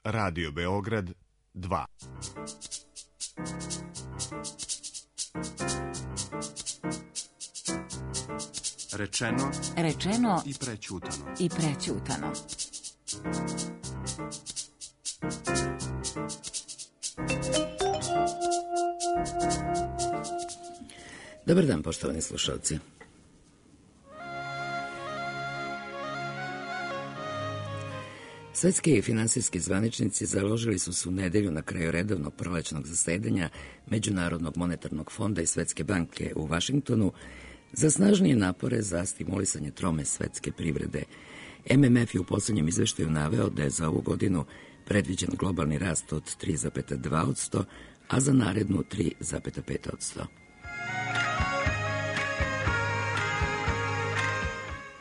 Radio Beograd 2. Rečeno i prećutano. Dobar dan, poštovani slušalci. Svetski i finansijski zvaničnici založili su se u nedelju na kraju redovnog prolećnog zasedanja Međunarodnog monetarnog fonda i Svetske banke u Vašingtonu za snažnije napore za stimulisanje trome svetske privrede. MMF je u poslednjem izveštaju naveo da je za ovu godinu predviđen globalni rast od 3,2%, a za narednu 3,5%.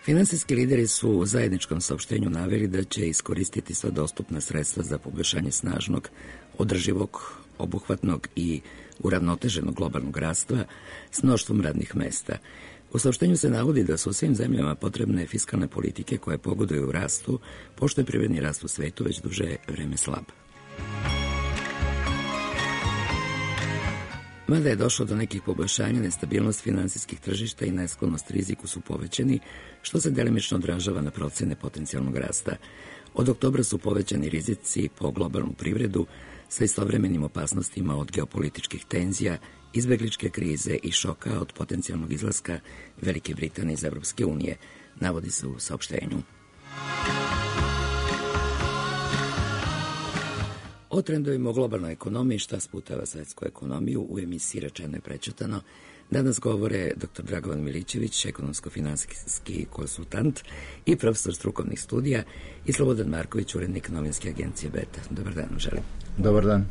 Finansijski lideri su u zajedničkom saopštenju naveli da će iskoristiti sva dostupna sredstva za poboljšanje snažnog, održivog, obuhvatnog i uravnoteženog globalnog rasta s mnoštvom radnih mesta. U saopštenju se navodi da su u svim zemljama potrebne fiskalne politike koje pogoduju rastu, pošto je privredni rast u svetu već duže vreme slab. Mada je došlo do nekih poboljšanja, nestabilnost finansijskih tržišta i nesklonost riziku su povećani, što se delimično odražava na procene potencijalnog rasta. Od oktobra su povećani rizici po globalnu privredu sa istovremenim opasnostima od geopolitičkih tenzija, izbegličke krize i šoka od potencijalnog izlaska Velike Britanije iz Evropske unije, navodi se u saopštenju. O trendovima u globalnoj ekonomiji, šta sputava svetsku ekonomiju, u emisiji Rečeno i prećutano danas govore dr. Dragovan Milićević, ekonomsko-finansijski konsultant i profesor strukovnih studija, i Slobodan Marković, urednik novinske agencije Beta. Dobar dan, želim. Dobar dan.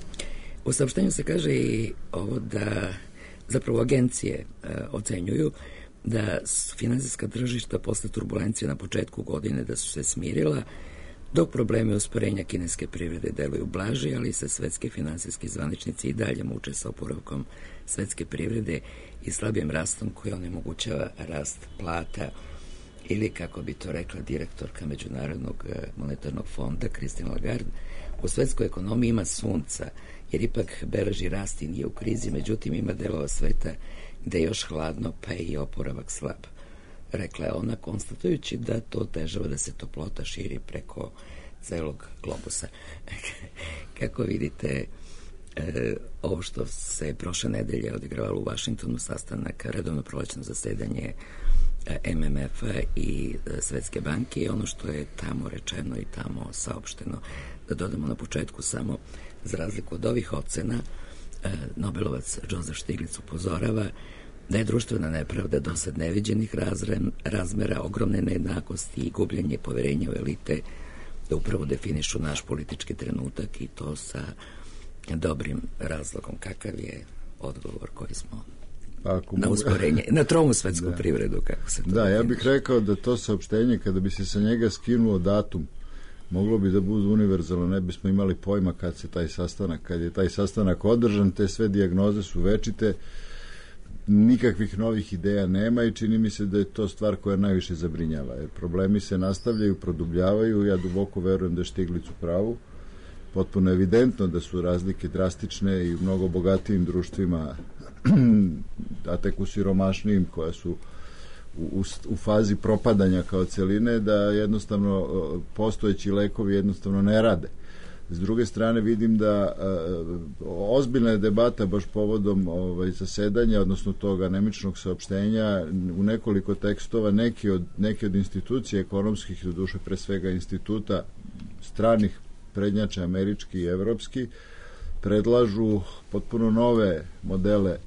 U saopštenju se kaže i ovo da zapravo agencije ocenjuju da su finansijska tržišta posle turbulencije na početku godine da su se smirila, dok probleme usporenja kineske privrede deluju blaže, ali se svetski finansijski zvaničnici i dalje muče sa oporavkom svetske privrede i slabijim rastom koji onemogućava rast plata, ili, kako bi to rekla direktorka Međunarodnog monetarnog fonda Christine Lagarde, u svetskoj ekonomiji ima sunca, jer ipak beleži rast i nije u krizi, međutim ima delova sveta gde je još hladno, pa je i oporavak slab. Rekla je ona, konstatujući da to otežava da se toplota širi preko celog globusa. Kako vidite ovo što se prošle nedelje odigravalo u Vašingtonu, sastanak, redovno prolećno zasedanje MMF-a i Svetske banke, i ono što je tamo rečeno i tamo saopšteno. Da dodamo na početku samo, za razliku od ovih ocena, Nobelovac Joseph Stiglitz upozorava da je društvena nepravda do sad neviđenih razmera, ogromne nejednakosti i gubljenje poverenja u elite da upravo definišu naš politički trenutak, i to sa dobrim razlogom. Kakav je odgovor koji smo na usporenje, na tromu svetsku privredu, kako se to definiše? Ja bih rekao da to saopštenje, kada bi se sa njega skinuo datum, moglo bi da bude univerzalno, ne bismo imali pojma kad je taj sastanak održan, te sve dijagnoze su večite, nikakvih novih ideja nema i čini mi se da je to stvar koja najviše zabrinjava. Jer problemi se nastavljaju, produbljavaju, ja duboko verujem da je Stiglitz u pravu. Potpuno evidentno da su razlike drastične i u mnogo bogatijim društvima, a tek u siromašnijim koja su u fazi propadanja kao celine, da jednostavno postojeći lekovi jednostavno ne rade. S druge strane vidim da ozbiljna je debata baš povodom zasedanja, odnosno tog anemičnog saopštenja, u nekoliko tekstova neki od institucija ekonomskih, doduše pre svega instituta stranih prednjača, američki i evropski, predlažu potpuno nove modele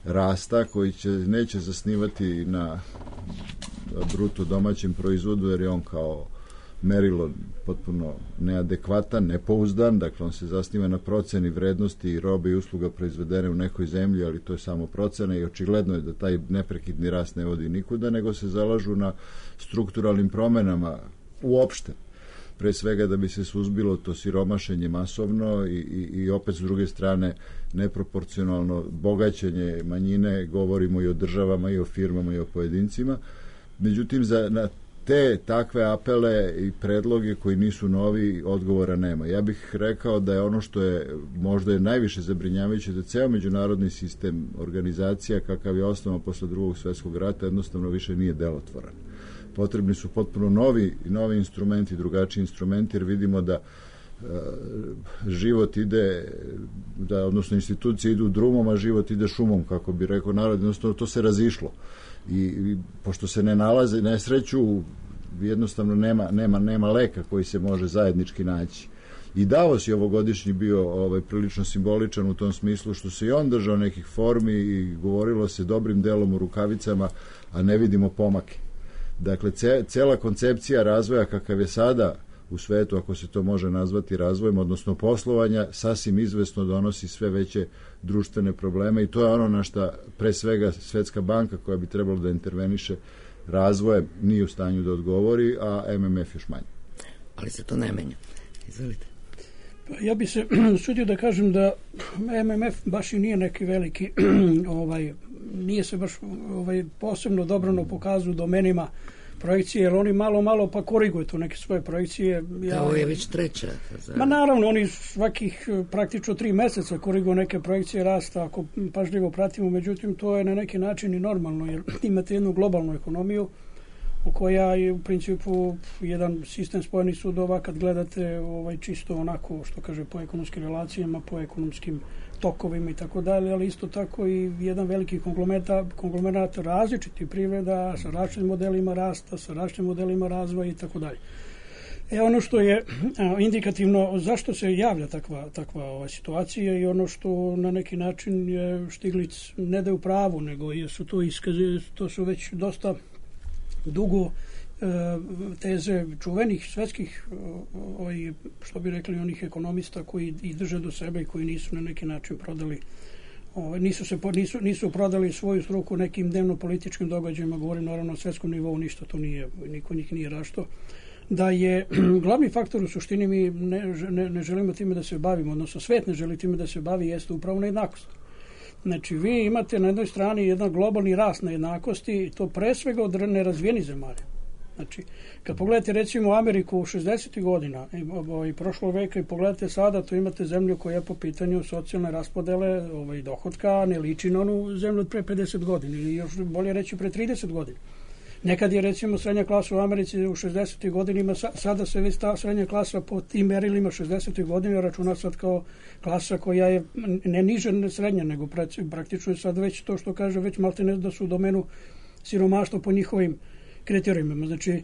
rasta koji neće zasnivati na bruto domaćem proizvodu, jer je on kao merilo potpuno neadekvatan, nepouzdan, dakle on se zasniva na proceni vrednosti robe i usluga proizvedene u nekoj zemlji, ali to je samo procena i očigledno je da taj neprekidni rast ne vodi nikuda, nego se zalažu na strukturalnim promenama uopšte, pre svega da bi se suzbilo to siromašenje masovno i opet s druge strane neproporcionalno bogaćenje manjine, govorimo i o državama i o firmama i o pojedincima. Međutim, na takve apele i predloge koji nisu novi, odgovora nema. Ja bih rekao da je ono što je možda je najviše zabrinjavajuće, da ceo međunarodni sistem organizacija kakav je osnovan posle Drugog svjetskog rata jednostavno više nije delotvoran. Potrebni su potpuno novi instrumenti, drugačiji instrumenti, jer vidimo da život ide, odnosno institucije idu drumom, a život ide šumom, kako bi rekao narod, jednostavno to se razišlo. I pošto se ne nalaze, nesreću, jednostavno nema leka koji se može zajednički naći. I Davos je ovogodišnji bio prilično simboličan u tom smislu što se i on držao nekih formi i govorilo se dobrim delom u rukavicama, a ne vidimo pomake. Dakle, cela koncepcija razvoja kakav je sada u svetu, ako se to može nazvati razvojem, odnosno poslovanja, sasvim izvesno donosi sve veće društvene probleme i to je ono na što pre svega Svetska banka, koja bi trebalo da interveniše razvojem, nije u stanju da odgovori, a MMF još manje. Ali se to ne menja. Izvolite. Ja bi se sudio da kažem da MMF baš i nije neki veliki, nije se baš posebno dobrano pokazao u domenima projekcije, jer oni malo pa koriguju tu neke svoje projekcije. Ovo je već treća. Ma naravno, oni svakih praktično 3 meseca koriguju neke projekcije rasta, ako pažljivo pratimo, međutim to je na neki način i normalno, jer imate jednu globalnu ekonomiju u koja je u principu jedan sistem spojenih sudova, kad gledate čisto onako, što kaže, po ekonomskim relacijama, po ekonomskim tokovima i tako dalje, ali isto tako i jedan veliki konglomerat različitih privreda sa različitim modelima rasta, sa različitim modelima razvoja i tako dalje. Ono što je indikativno zašto se javlja takva situacija i ono što na neki način je Štiglic ne da je u pravu, nego su to su već dosta dugo teze čuvenih svetskih, što bi rekli, onih ekonomista koji i drže do sebe i koji nisu na neki način prodali, nisu prodali svoju struku nekim dnevno-političkim događajima, govorim naravno o svetskom nivou, ništa to nije, niko njih nije rašto, da je glavni faktor u suštini, mi ne želimo time da se bavimo, odnosno svet ne želi time da se bavi, jeste upravo nejednakost. Znači, vi imate na jednoj strani jedan globalni rast nejednakosti i to pre svega od nerazvijenih zemalja. Znači, kad pogledate recimo Ameriku u 60. godina i prošlog veka i pogledate sada, to imate zemlju koja je po pitanju socijalne raspodele dohotka ne liči na onu zemlju od pre 50 godina ili još bolje reći pre 30 godina. Nekad je recimo srednja klasa u Americi u 60. godinima, sada se već ta srednja klasa po tim merilima 60. godina računa sad kao klasa koja je ne niže ne srednja, nego praktično je sad već to što kaže, već malte ne da su u domenu siromaštva po njihovim kriterijima. Znači,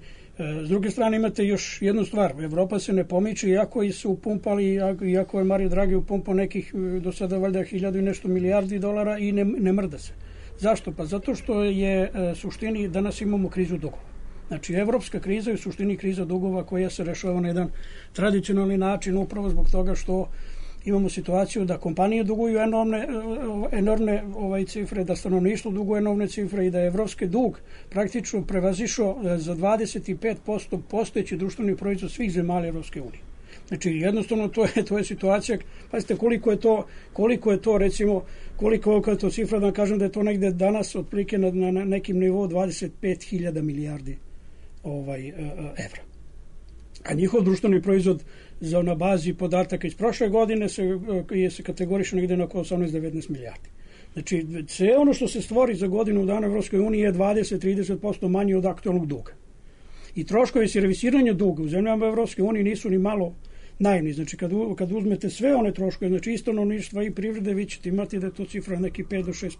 s druge strane imate još jednu stvar, Evropa se ne pomiče, iako su upumpali, iako je Mario Draghi upumpao nekih do sada valjda 1000 i nešto milijardi dolara i ne mrda se. Zašto? Pa zato što je suštini danas imamo krizu dugova. Znači, evropska kriza je u suštini kriza dugova koja se rešava na jedan tradicionalni način upravo zbog toga što imamo situaciju da kompanije duguju enormne cifre, da stanovništvo duguje enormne cifre i da je evropski dug praktično prevazišao za 25% postojeći društveni proizvod svih zemalja Evropske unije. Znači, jednostavno to je situacija, pazite koliko je to recimo, koliko je to cifra, da kažem da je to negde danas otprilike na nekim nivou 25.000 milijardi evra. A njihov društveni proizvod na bazi podataka iz prošle godine se kategoriše negde na oko 18-19 milijardi. Znači, sve ono što se stvori za godinu dana Evropskoj uniji je 20-30% manje od aktualnog duga. I troškovi servisiranja duga u zemljama Evropske unije nisu ni malo naivni. Znači, kad uzmete sve one troškove, znači i stanovništva i privrede, vi ćete imati da je to cifra neki 5-6%.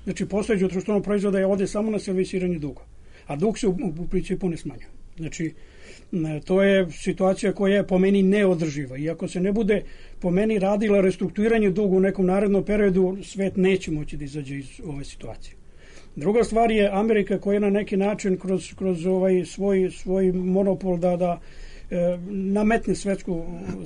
Znači, postojeći društvenog proizvoda je ovde samo na servisiranje duga. A dug se u principu ne smanjuje. Znači, to je situacija koja je po meni neodrživa. I ako se ne bude po meni radila restrukturiranje duga u nekom narednom periodu, svet neće moći da izađe iz ove situacije. Druga stvar je Amerika koja na neki način kroz svoj monopol da nametne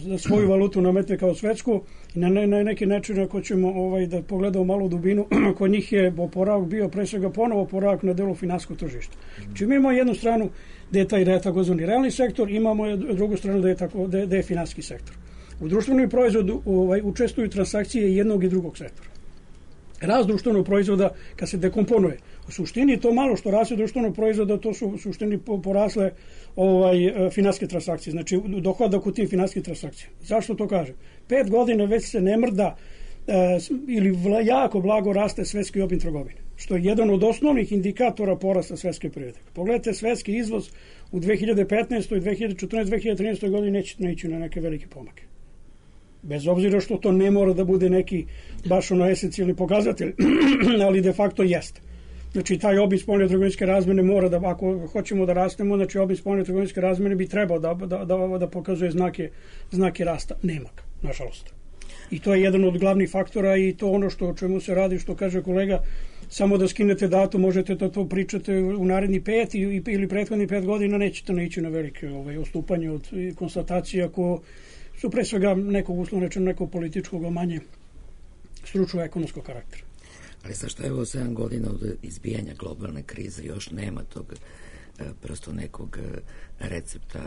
da svoju valutu nametne kao svetsku i na neki način ako ćemo da pogledamo malo u dubinu, kod njih je oporavak bio pre svega ponovo oporavak na delu finansijskog tržišta. Znači mi imamo jednu stranu da je takozvani realni sektor, imamo drugu stranu da je finansijski sektor. U društvenom proizvodu učestvuju transakcije jednog i drugog sektora. rast društvenog proizvoda kad se dekomponuje. U suštini to malo što raste društvenog proizvoda, to su u suštini porasle finansijske transakcije, znači dohodak u tim finansijskih transakcija. Zašto to kažem? 5 godina već se ne mrda ili jako blago raste svetski obim trgovine, što je jedan od osnovnih indikatora porasta svetske privrede. Pogledajte svetski izvoz u 2015. 2014. 2013. godini neće ići na neke velike pomake. Bez obzira što to ne mora da bude neki baš esencijalni pokazatelj, ali de facto jeste. Znači, taj obim spoljno-trgovinske razmene mora da, ako hoćemo da rastemo, znači obim spoljno-trgovinske razmene bi trebao da pokazuje znake rasta. Nema ga, nažalost. I to je jedan od glavnih faktora i to ono o čemu se radi, što kaže kolega, samo da skinete datum, možete da to pričate u naredni 5 ili prethodni 5 godina, nećete naići na velike odstupanje od konstatacija ko su pre svega nekog uslovno rečeno nekog političkog, a manje stručno ekonomskog karaktera. Ali zašto evo 7 godina od izbijanja globalne krize još nema tog prosto nekog recepta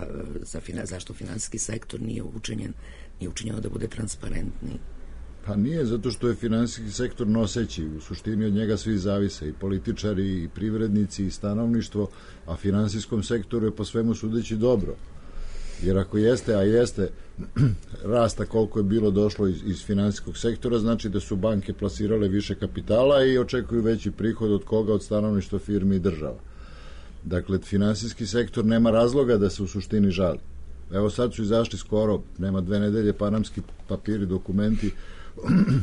zašto finansijski sektor nije učinjeno da bude transparentniji? Pa nije, zato što je finansijski sektor noseći, u suštini od njega svi zavise, i političari, i privrednici, i stanovništvo, a finansijskom sektoru je po svemu sudeći dobro. Jer ako jeste, a jeste rasta koliko je bilo došlo iz finansijskog sektora, znači da su banke plasirale više kapitala i očekuju veći prihod od koga? Od stanovništva, firmi i država. Dakle, finansijski sektor nema razloga da se u suštini žali. Evo sad su izašli skoro, nema 2 nedelje, panamski papiri, dokumenti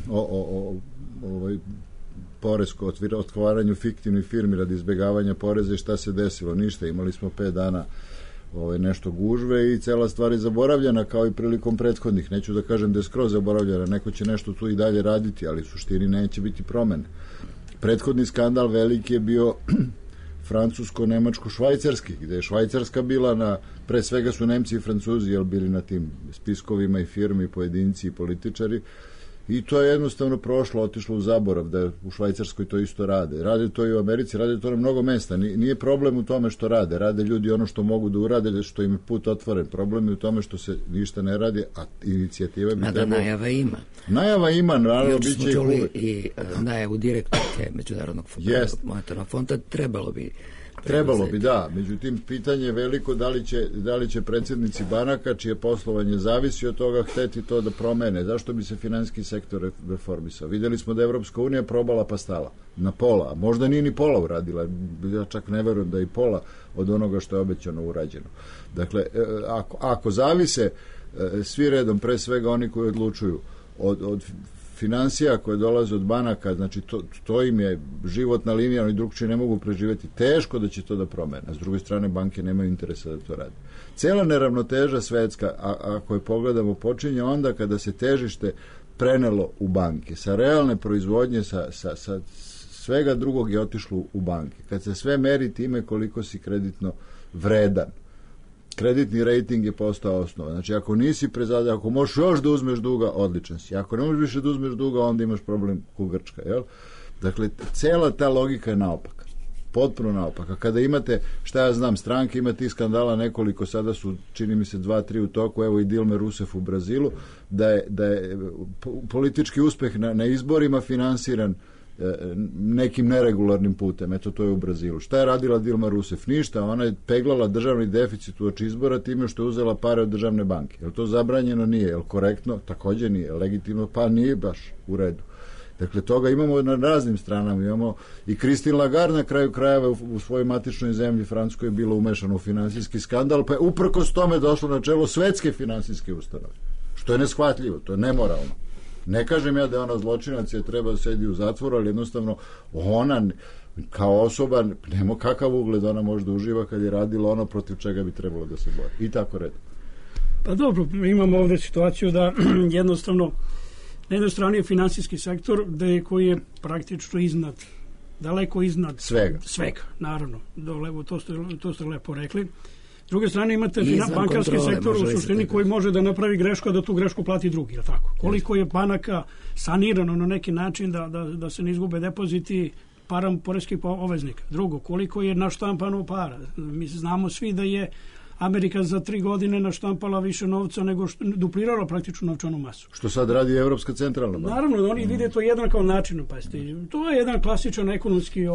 o poresko otvaranju fiktivnih firmi radi izbjegavanja poreza i šta se desilo. Ništa, imali smo 5 dana nešto gužve i cela stvar je zaboravljena kao i prilikom prethodnih. Neću da kažem da je skroz zaboravljena, neko će nešto tu i dalje raditi, ali u suštini neće biti promene. Prethodni skandal veliki je bio francusko-nemačko-švajcarski, gde je Švajcarska bila pre svega su Nemci i Francuzi bili na tim spiskovima i firmi, i pojedinci i političari, i to je jednostavno prošlo, otišlo u zaborav, da u Švajcarskoj to isto rade. Rade to i u Americi, rade to na mnogo mesta. Nije problem u tome što rade ljudi ono što mogu da urade, što im je put otvoren. Problem je u tome što se ništa ne radi, a inicijativa bi trebalo... Najava ima. Najava ima, naravno, bit će i čuli i najavu direktorke Međunarodnog monetarnog fonda, trebalo bi, da. Međutim, pitanje je veliko da li će predsjednici banaka, čije poslovanje zavisi od toga, hteti to da promene. Zašto bi se finansijski sektor reformisao? Vidjeli smo da je Evropska unija probala pa stala na pola, a možda nije ni pola uradila. Ja čak ne verujem da je i pola od onoga što je obećano urađeno. Dakle, ako zavise svi redom, pre svega oni koji odlučuju od financija koje dolaze od banaka, znači to im je životna linija, oni drugčije ne mogu preživjeti, teško da će to da promene. A s druge strane, banke nemaju interesa da to radi. Cela neravnoteža svetska, ako je pogledamo, počinje onda kada se težište prenelo u banke. Sa realne proizvodnje, sa svega drugog je otišlo u banke. Kad se sve meri time koliko si kreditno vredan, kreditni rating je postao osnova. Znači, ako nisi prezadan, ako možeš još da uzmeš duga, odličan si. Ako ne možeš više da uzmeš duga, onda imaš problem ku Grčka, jel? Dakle, cela ta logika je naopaka. Potpuno naopaka. Kada imate, šta ja znam, stranke, ima tih skandala nekoliko, sada su, čini mi se, 2-3 u toku, evo i Dilma Rousseff u Brazilu, da je politički uspeh na izborima finansiran nekim neregularnim putem. Eto, to je u Brazilu. Šta je radila Dilma Rousseff? Ništa. Ona je peglala državni deficit uoči izbora time što je uzela pare od državne banke. Je li to zabranjeno? Nije. Je li korektno? Također nije. Legitimno? Pa nije baš u redu. Dakle, toga imamo na raznim stranama. Imamo i Christine Lagarde na kraju krajeva u svojoj matičnoj zemlji Francuskoj je bilo umešano u finansijski skandal, pa je uprkos tome došlo na čelo svetske finansijske ustanove. Što je neshvatljivo, to je nemoralno. Ne kažem ja da je ona zločinac i treba da sedi u zatvoru, ali jednostavno ona kao osoba nema kakav ugled ona može da uživa kad je radila ono protiv čega bi trebalo da se bori. I tako redom. Pa dobro, imamo ovdje situaciju da jednostavno na jednoj strani je finansijski sektor koji je praktično daleko iznad svega, naravno. To ste lepo rekli. S druge strane imate bankarski sektor u suštini koji može da napravi grešku, a da tu grešku plati drugi, je tako? Koliko je banaka sanirano na neki način da se ne izgube depoziti poreskih obveznika. Drugo, koliko je naštampano para. Mi znamo svi da je Amerika za 3 godine naštampala više novca nego što duplirala praktično novčanu masu. Što sad radi Evropska centralna banka. Naravno, oni vide to jedan kao način, to je jedan klasičan ekonomski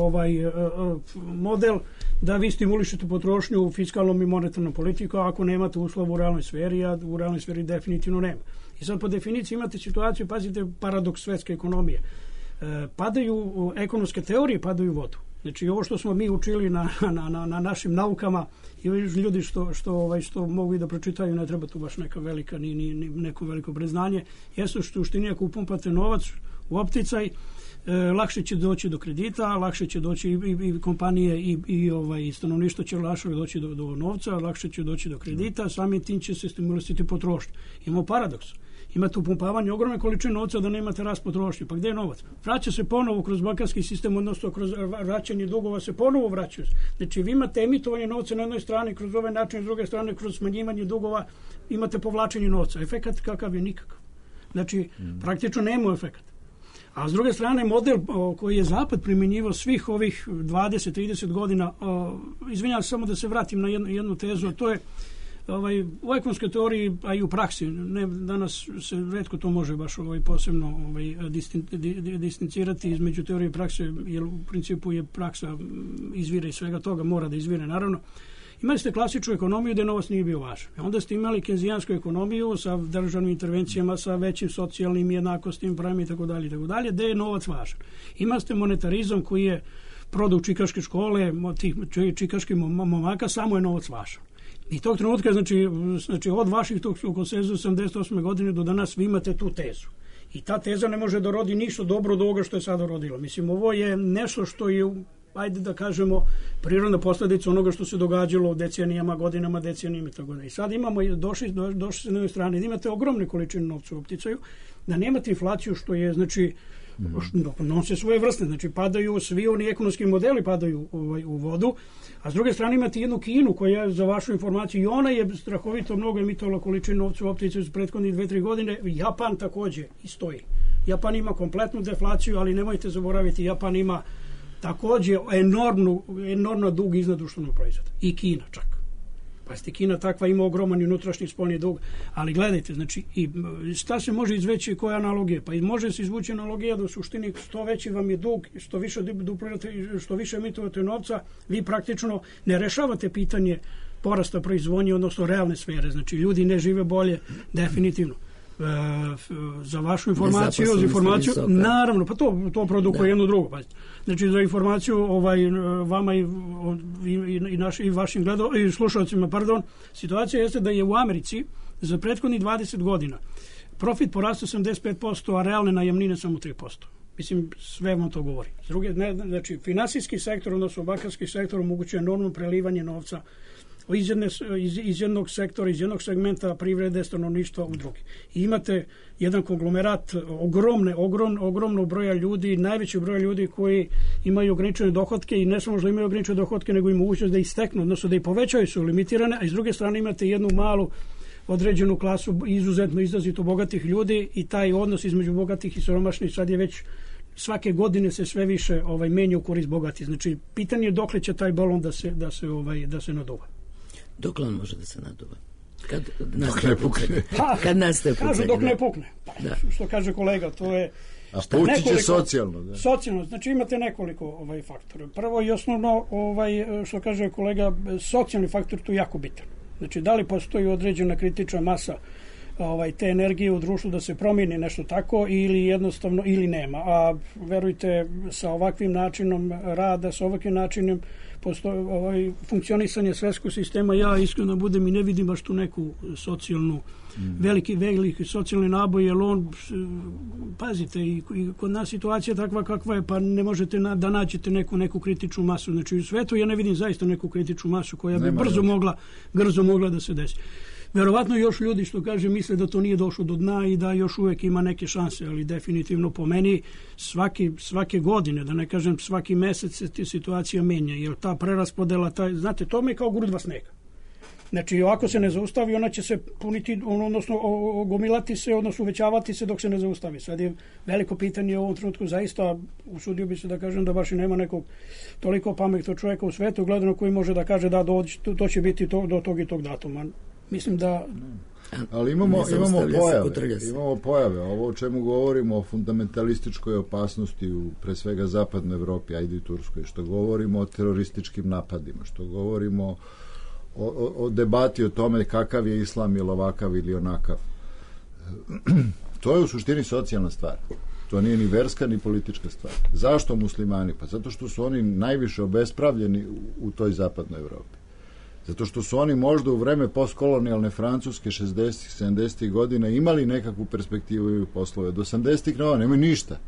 model da vi stimulišete potrošnju u fiskalnom i monetarnom politiku, ako nemate uslov u realnoj sferi, a u realnoj sferi definitivno nema. I sad po definiciji imate situaciju, pazite, paradoks svetske ekonomije. Padaju ekonomske teorije, padaju u vodu. Znači, ovo što smo mi učili na našim naukama i ljudi što mogu i da pročitaju, ne treba tu baš neka velika, ni neko veliko priznanje, jesu što u štini ako upumpate novac u opticaj, lakše će doći do kredita, lakše će doći i kompanije i stanovništvo će lakše doći do novca, lakše će doći do kredita, samim tim će se stimulisati potrošnju. Imamo paradoks. Imate upumpavanje ogromne količine novca da nemate rast potrošnje. Pa gde je novac? Vraća se ponovo kroz bankarski sistem, odnosno kroz vraćanje dugova se ponovo vraćaju. Znači vi imate emitovanje novca na jednoj strani kroz ovaj način, s druge strane kroz smanjivanje dugova imate povlačenje novca. Efekat kakav je? Nikakav. Znači praktično nema efekat. A s druge strane model koji je Zapad primjenjivao svih ovih 20-30 godina, izvinjavam se samo da se vratim na jednu tezu, a to je u ekonomskoj teoriji, a i u praksi, danas se retko to može baš posebno distancirati između teorije i prakse, jer u principu je praksa izvire iz svega toga, mora da izvire naravno. Imali ste klasičnu ekonomiju gde novac nije bio važan. Onda ste imali kenzijansku ekonomiju sa državnim intervencijama, sa većim socijalnim jednakostim, pravima itd., gde je novac važan. Imali ste monetarizam koji je produkt čikaške škole, tih čikaških momaka, samo je novac važan. I tog trenutka, znači od vaših tog konsenzusa 78. godine do danas vi imate tu tezu. I ta teza ne može da rodi ništa dobro od ovoga što je sada rodilo. Mislim, ovo je nešto što je, ajde da kažemo, prirodna posledica onoga što se događalo decenijama, godinama, decenijama i tako da. I sad imamo, došli se na jednoj strani, da imate ogromne količine novca u opticaju, da nemate inflaciju što je, znači, nose svoje vrste, znači padaju svi oni ekonomski modeli padaju u vodu, a s druge strane imate jednu Kinu koja, za vašu informaciju, i ona je strahovito mnogo emitovala količinu novca u opticaju iz prethodnih 2-3 godine. Japan takođe i stoji. Japan ima kompletnu deflaciju, ali nemojte zaboraviti, Japan ima takođe enormno dug iznad društvenog proizvoda. I Kina čak. Pa ste Kina takva, ima ogroman i unutrašnji spoljni dug, ali gledajte, znači, i šta se može izveći, koja analogija? Pa može se izvući analogija da u suštini što veći vam je dug, što više duplirate, što više emitovate novca, vi praktično ne rešavate pitanje porasta proizvodnje, odnosno realne sfere, znači ljudi ne žive bolje, definitivno. Za vašu informaciju, naravno, pa to produkuje jedno drugo. Pa. Znači, za informaciju vama i vašim slušalcima, situacija jeste da je u Americi za prethodnih 20 godina profit porastao 75%, a realne najamnine samo 3%. Mislim, sve vam to govori. Znači, finansijski sektor, odnosno bankarski sektor omogućuje enormno prelivanje novca iz jednog sektora, iz jednog segmenta privrede, stanovništva u drugi. I imate jedan konglomerat ogromnog broja ljudi, najveći broj ljudi koji imaju ograničene dohotke i ne samo da imaju ograničene dohotke, nego i mogućnost da ih steknu, odnosno da ih povećaju, su limitirane, a s druge strane imate jednu malu određenu klasu izuzetno izrazito bogatih ljudi i taj odnos između bogatih i siromašnih sad je već svake godine se sve više menja u korist bogati. Znači, pitanje je dokle će taj balon da se naduva. Dokle on može da se naduva? Dok ne pukne. Kad nastaje pucanje. Kažu dok ne pukne. Što kaže kolega, to je... A pući će socijalno. Da. Socijalno, znači imate nekoliko faktora. Prvo i osnovno, što kaže kolega, socijalni faktor tu je jako bitan. Znači, da li postoji određena kritična masa te energije u društvu da se promijeni nešto tako ili jednostavno ili nema. A verujte, sa ovakvim načinom rada, sa ovakvim načinom funkcionisanje svetskog sistema, ja iskreno budem i ne vidim baš tu neku socijalnu, veliki socijalni naboj, jer on, pazite, i kod nas situacija takva kakva je, pa ne možete da nađete neku kritičnu masu. Znači, u svetu ja ne vidim zaista neku kritičnu masu koja bi brzo mogla da se desi. Verovatno još ljudi, što kaže, misle da to nije došlo do dna i da još uvek ima neke šanse, ali definitivno po meni svake godine, da ne kažem svaki mesec se situacija menja, jer ta preraspodela, znate, to mi je kao grudva snega. Znači, ovako se ne zaustavi, ona će se puniti, odnosno gomilati se, odnosno uvećavati se dok se ne zaustavi. Sad je veliko pitanje u ovom trenutku, zaista usudio bi se da kažem da baš i nema nekog toliko pametnog čovjeka u svetu gledano koji može da kaže da to će biti do tog i tog datuma. Mislim da... Ali imamo pojave. Ovo o čemu govorimo o fundamentalističkoj opasnosti u pre svega zapadnoj Evropi, ajde i Turskoj, što govorimo o terorističkim napadima, što govorimo o debati o tome kakav je islam ili ovakav ili onakav. To je u suštini socijalna stvar. To nije ni verska ni politička stvar. Zašto muslimani? Pa zato što su oni najviše obespravljeni u toj zapadnoj Evropi. Zato što su oni možda u vreme postkolonijalne Francuske 60-ih, 70-ih godina imali nekakvu perspektivu i poslove. Do 80-ih nemaju ništa.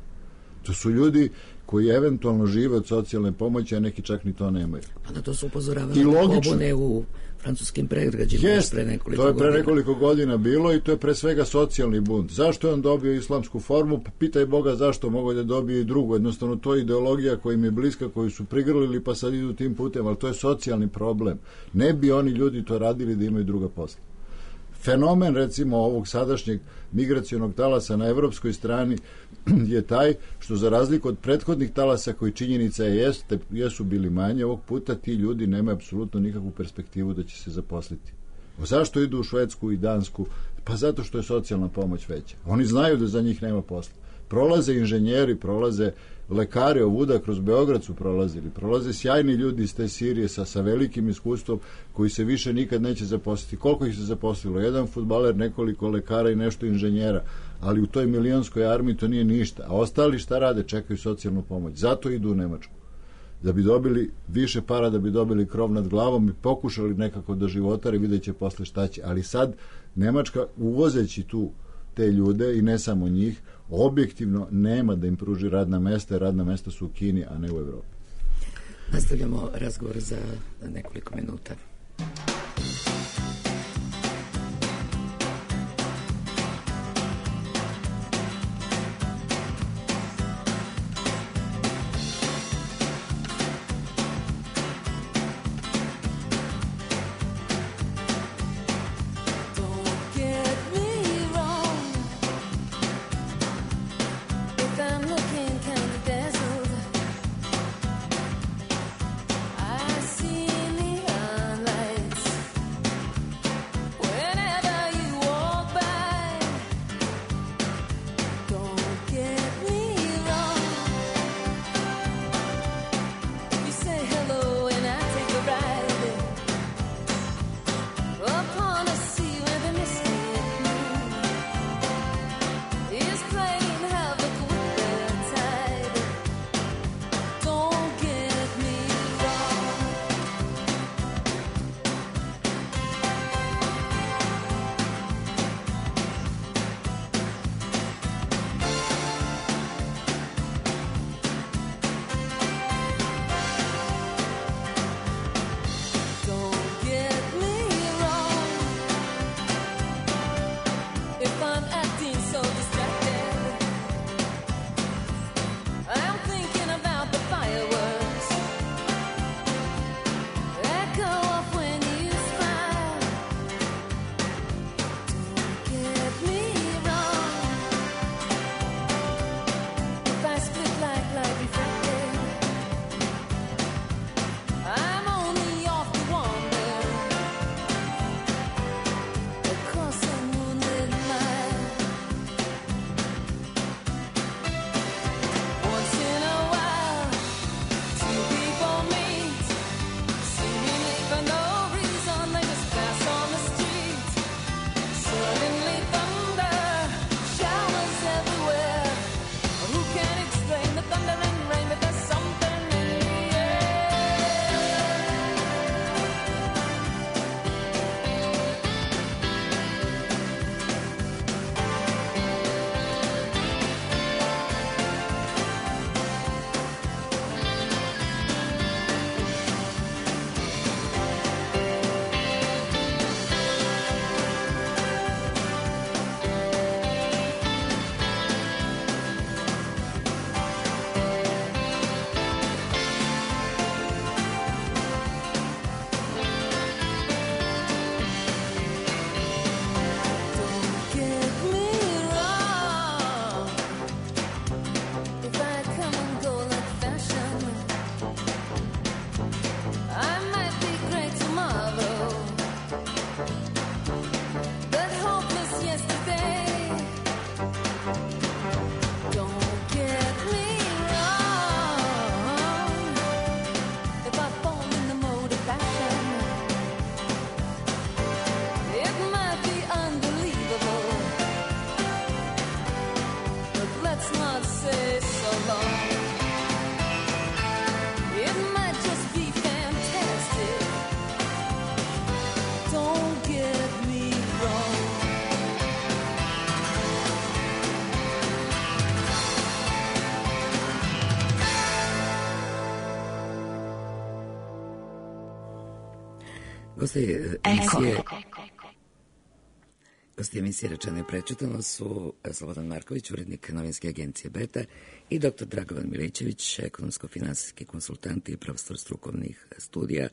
To su ljudi koji eventualno žive od socijalne pomoći, a neki čak ni to nemaju. Pa na to su upozoravali pobune u francuskim predgrađima pre nekoliko godina. To je pre nekoliko godina bilo i to je pre svega socijalni bunt. Zašto je on dobio islamsku formu? Pa pitaj Boga zašto mogu da dobije i drugu. Jednostavno to je ideologija koja im je bliska, koju su prigrlili pa sad idu tim putem, ali to je socijalni problem. Ne bi oni ljudi to radili da imaju druga posla. Fenomen, recimo, ovog sadašnjeg migracionog talasa na evropskoj strani je taj što za razliku od prethodnih talasa koji činjenica jesu bili manje, ovog puta ti ljudi nemaju apsolutno nikakvu perspektivu da će se zaposliti. Zašto idu u Švedsku i Dansku? Pa zato što je socijalna pomoć veća. Oni znaju da za njih nema posla. Prolaze inženjeri, prolaze lekari ovuda, kroz Beograd su prolaze sjajni ljudi iz te Sirije sa velikim iskustvom koji se više nikad neće zaposliti. Koliko ih se zaposlilo? Jedan fudbaler, nekoliko lekara i nešto inženjera, ali u toj milionskoj armiji to nije ništa. A ostali šta rade? Čekaju socijalnu pomoć. Zato idu u Nemačku. Da bi dobili više para, da bi dobili krov nad glavom i pokušali nekako da životari, vidjet će posle šta će. Ali sad Nemačka, uvozeći tu te ljude i ne samo njih, objektivno nema da im pruži radna mesta, jer radna mesta su u Kini, a ne u Evropi. Nastavljamo razgovor za nekoliko minuta. I see neon lights. Gosti emisije Rečeno i prečitano su Slobodan Marković, urednik novinske agencije Beta, i dr. Dragovan Milićević, ekonomsko-finansijski konsultant i profesor strukovnih studija.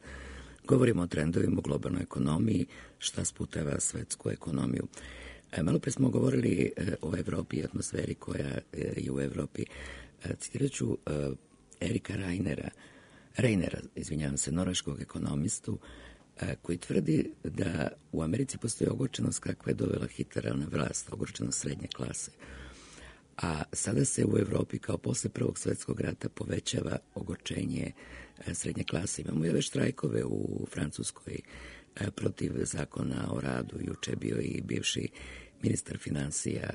Govorimo o trendovima u globalnoj ekonomiji, šta sputava svetsku ekonomiju. Malo pre smo govorili o Evropi i atmosferi koja je u Evropi. Citirat ću Erika Reinera, norveškog ekonomistu, koji tvrdi da u Americi postoji ogorčenost kakva je dovela Hitlera na vlast, ogorčenost srednje klase. A sada se u Evropi kao posle Prvog svetskog rata povećava ogorčenje srednje klase. Imamo već štrajkove u Francuskoj protiv zakona o radu. Juče je bio i bivši ministar finansija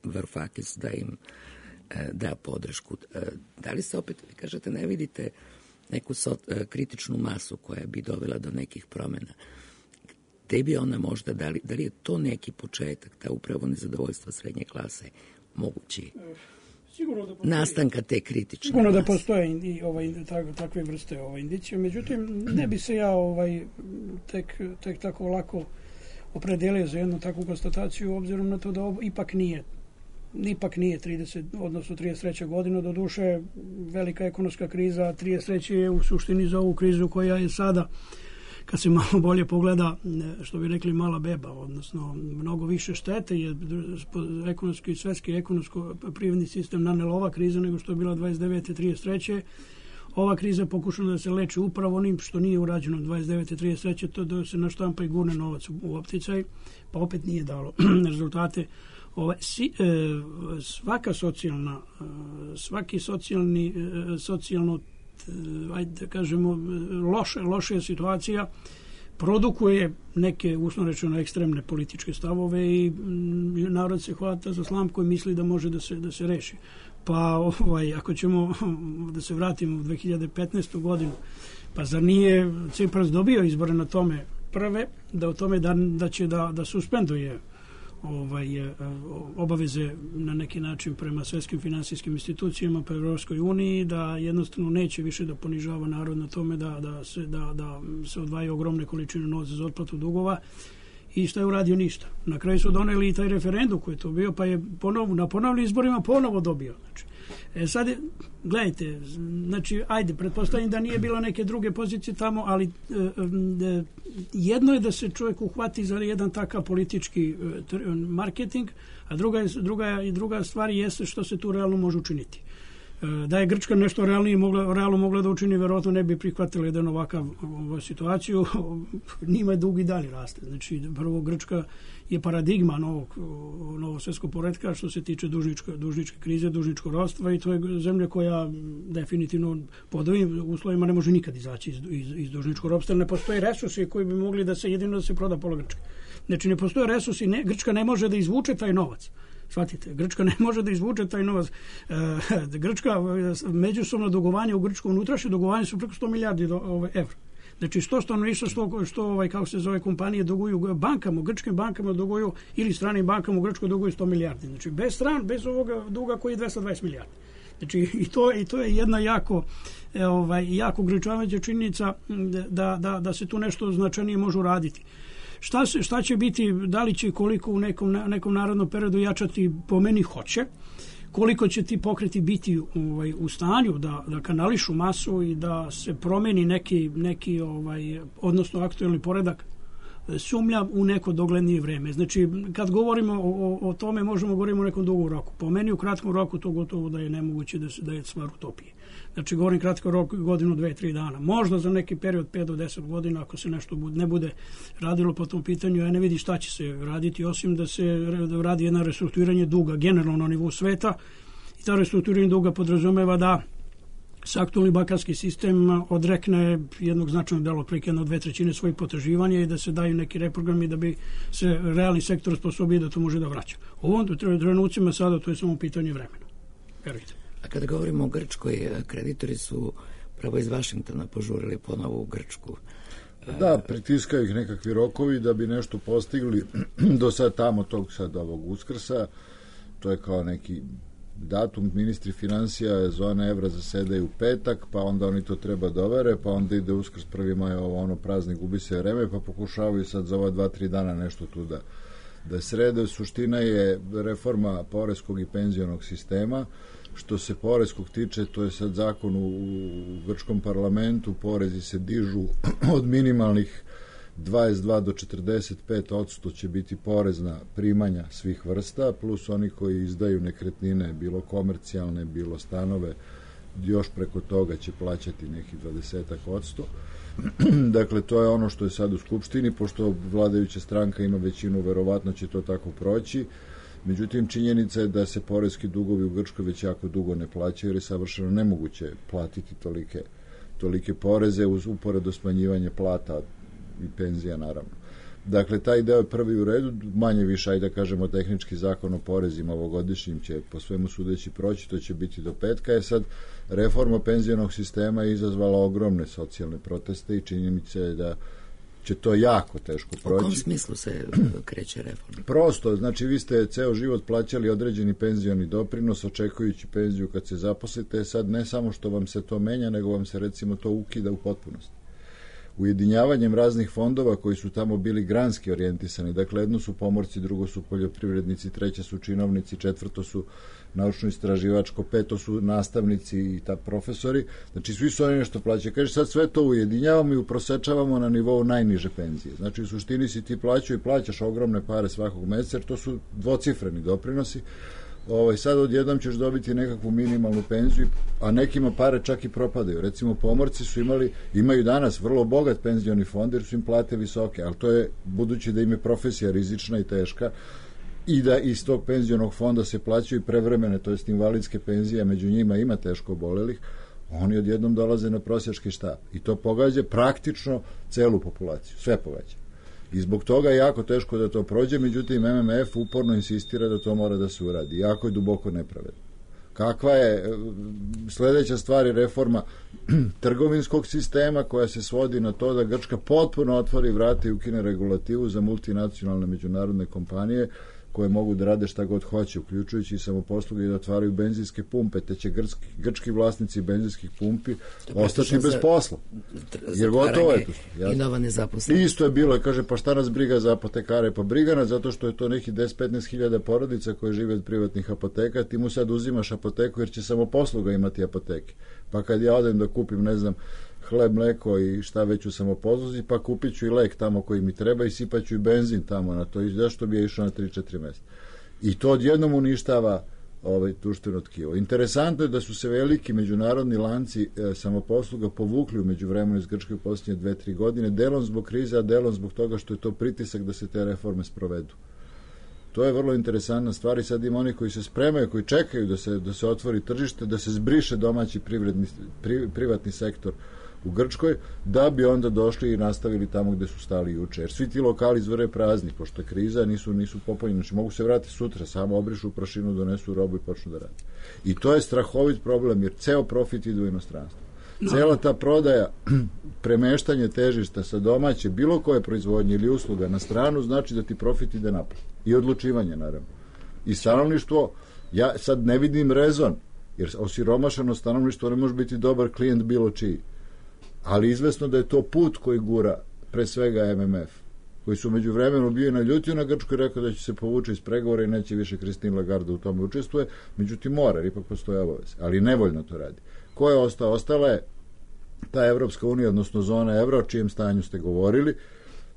Varoufakis da im da podršku. Da li se opet, vi kažete, ne vidite neku kritičnu masu koja bi dovela do nekih promjena? Gde bi ona možda, da li je to neki početak, ta upravo nezadovoljstva srednje klase mogući nastanka te kritične sigurno mase? Da postoje i takve vrste indicije, međutim ne bi se ja tek tako lako opredelio za jednu takvu konstataciju, obzirom na to da ovo ipak nije 30, odnosno 33. godina, do duše velika ekonomska kriza, 33. je u suštini za ovu krizu koja je sada, kad se malo bolje pogleda, što bi rekli, mala beba, odnosno mnogo više štete je ekonomski, svetski ekonomsko-privredni sistem nanela ova kriza nego što je bila 29. 33. Ova kriza je pokušana da se leči upravo onim što nije urađeno 29. 33. to da se naštampa i gurne novac u opticaj, pa opet nije dalo rezultate. Svaki socijalno, ajde da kažemo, loša situacija produkuje neke, uslovno rečeno, ekstremne političke stavove i narod se hvata za slamku koji misli da može da se reši. Pa ako ćemo da se vratimo u 2015. godinu, pa zar nije Cipras dobio izbore na tome prve, da o tome da će da suspenduje obaveze na neki način prema svetskim finansijskim institucijama, pa Evropskoj uniji, da jednostavno neće više da ponižava narod na tome da se odvajaju ogromne količine novca za otplatu dugova. I šta je uradio? Ništa. Na kraju su doneli i taj referendum koji je to bio, pa je na ponovnim izborima ponovo dobio. Sad, gledajte, ajde, pretpostavljam da nije bilo neke druge pozicije tamo, ali jedno je da se čovjek uhvati za jedan takav politički marketing, a druga stvar jeste što se tu realno može učiniti. Da je Grčka nešto realno mogla da učini, verovatno ne bi prihvatila jedan ovakav situaciju. Njima je dug i dalje raste. Znači, prvo, Grčka je paradigma novog svjetskog poretka što se tiče dužničke krize, dužničkog ropstva, i to je zemlja koja definitivno pod ovim uslovima ne može nikad izaći iz dužničkog ropstva. Ne postoje resursi koji bi mogli jedino da se proda pola Grčke. Znači, ne postoje resursi, Grčka ne može da izvuče taj novac. Shvatite, Grčka ne može da izvuče taj novac. Grčka, međusobno dugovanje u Grčkom unutrašnje dugovanje su preko 100 milijardi evra. Znači, što kako se zove, kompanije duguju bankama, grčkim bankama duguju, ili stranim bankama u Grčkoj duguju 100 milijardi. Znači, bez ovoga duga koji je 220 milijardi. Znači, i to je jedna jako ograničavajuća činjenica da se tu nešto značajnije može uraditi. Šta će biti, da li će koliko u nekom narodnom periodu jačati, po meni hoće, koliko će ti pokreti biti u stanju da kanališu masu i da se promeni neki odnosno aktuelni poredak, sumnjam u neko doglednije vreme. Znači, kad govorimo o tome, možemo govoriti o nekom dugom roku. Po meni u kratkom roku to gotovo da je nemoguće da je stvar utopije. Znači, govorim kratko rok, godinu, 2-3 dana. Možda za neki period 5 do 10 godina, ako se nešto ne bude radilo po tom pitanju, ja ne vidim šta će se raditi, osim da se radi jedno restrukturiranje duga generalno na nivou sveta. I ta restrukturiranje duga podrazumeva da se aktualni bankarski sistem odrekne jednog značajnog dela, otprilike 2/3 svojih potraživanja, i da se daju neki reprogrami da bi se realni sektor osposobio da to može da vraća. U ovom trenucima sada to je samo pitanje vremena. Verujte. A kada govorimo o Grčkoj, kreditori su pravo iz Vašingtona požurili ponovo u Grčku. Da, pritiskaju ih nekakvi rokovi da bi nešto postigli do sad tamo ovog Uskrsa. To je kao neki datum, ministri financija zone evra zasedaju u petak, pa onda oni to treba dovere, pa onda ide Uskrs, 1. maj, ono praznik, gubi se vreme, pa pokušavaju sad za ova 2-3 dana nešto tu da srede. Suština je reforma poreskog i penzionog sistema. Što se poreskog tiče, to je sad zakon u grčkom parlamentu, porezi se dižu od minimalnih 22 do 45% će biti porez na primanja svih vrsta, plus oni koji izdaju nekretnine, bilo komercijalne, bilo stanove, još preko toga će plaćati neki 20%. Dakle, to je ono što je sad u Skupštini, pošto vladajuća stranka ima većinu, verovatno će to tako proći. Međutim, činjenica je da se poreski dugovi u Grčkoj već jako dugo ne plaćaju, jer je savršeno nemoguće platiti tolike poreze uz uporedo smanjivanje plata i penzija, naravno. Dakle, taj deo je prvi u redu, manje više, ajde da kažemo, tehnički zakon o porezima ovogodišnjim će po svemu sudeći proći, to će biti do petka. Je sad, reforma penzionog sistema je izazvala ogromne socijalne proteste i činjenica je da će to jako teško proći. U kom smislu se kreće reforma? Prosto, znači vi ste ceo život plaćali određeni penzioni doprinos, očekujući penziju kad se zaposlite, sad ne samo što vam se to menja, nego vam se recimo to ukida u potpunosti. Ujedinjavanjem raznih fondova koji su tamo bili granski orijentisani, dakle jedno su pomorci, drugo su poljoprivrednici, treće su činovnici, četvrto su naučno-istraživačko, peto su nastavnici i profesori, znači svi su oni nešto plaćaju. Kaže, sad sve to ujedinjavamo i uprosečavamo na nivou najniže penzije. Znači u suštini si ti plaćaju i plaćaš ogromne pare svakog meseca, jer to su dvocifreni doprinosi. Sad odjednom ćeš dobiti nekakvu minimalnu penziju, a nekima pare čak i propadaju. Recimo, pomorci su imaju danas vrlo bogat penzioni fond, jer su im plate visoke, ali to je, budući da im je profesija rizična i teška, i da iz tog penzionog fonda se plaćaju prevremene, to jest invalidske penzije, među njima ima teško obolelih, oni odjednom dolaze na prosjački štap. I to pogađa praktično celu populaciju, sve pogađa. I zbog toga je jako teško da to prođe, međutim MMF uporno insistira da to mora da se uradi. Jako je duboko nepravedno. Kakva je sledeća stvar je reforma trgovinskog sistema koja se svodi na to da Grčka potpuno otvori vrata i ukine regulativu za multinacionalne međunarodne kompanije koje mogu da rade šta god hoće, uključujući i samoposluge i da otvaraju benzinske pumpe, te će grčki vlasnici benzinskih pumpi ostati bez posla. Jer gotovo je to. I nova nezaposlenost. Isto je bilo, kaže, pa šta nas briga za apotekare? Pa briga nas zato što je to neki 10-15 hiljada porodica koje žive od privatnih apoteka, ti mu sad uzimaš apoteku jer će samoposluga imati apoteke. Pa kad ja odem da kupim, ne znam, hleb, mleko i šta već u samoposluzi, pa kupit ću i lek tamo koji mi treba i sipat ću i benzin tamo na to, i zašto bi ja išao na 3-4 mesta. I to odjednom uništava društveno tkivo. Interesantno je da su se veliki međunarodni lanci samoposluga povukli u međuvremenu iz Grčke u posljednje 2-3 godine, delom zbog krize, a delom zbog toga što je to pritisak da se te reforme sprovedu. To je vrlo interesantna stvar i sad ima oni koji se spremaju, koji čekaju da se otvori tržište, da se zbriše domaći privatni sektor u Grčkoj, da bi onda došli i nastavili tamo gde su stali juče. Jer svi ti lokali izvore prazni, pošto je kriza, nisu popunjeni. Znači, mogu se vratiti sutra, samo obrišu prašinu, donesu robu i počnu da rade. I to je strahovit problem, jer ceo profit ide u inostranstvo. Cela ta prodaja, premeštanje težišta sa domaće, bilo koje proizvodnje ili usluga na stranu, znači da ti profit ide napred. I odlučivanje, naravno. I stanovništvo, ja sad ne vidim rezon, jer osiromašeno stanovništvo ne može biti dobar klijent bilo čiji. Ali izvesno da je to put koji gura pre svega MMF, koji su među vremenu bio naljutio na Grčku i rekao da će se povući iz pregovora i neće više Christine Lagarde u tome učestvuje, međutim mora, jer ipak postoje obaveze, ali nevoljno to radi. Ko je ostao? Ostala je ta Evropska unija, odnosno zona evra, o čijem stanju ste govorili.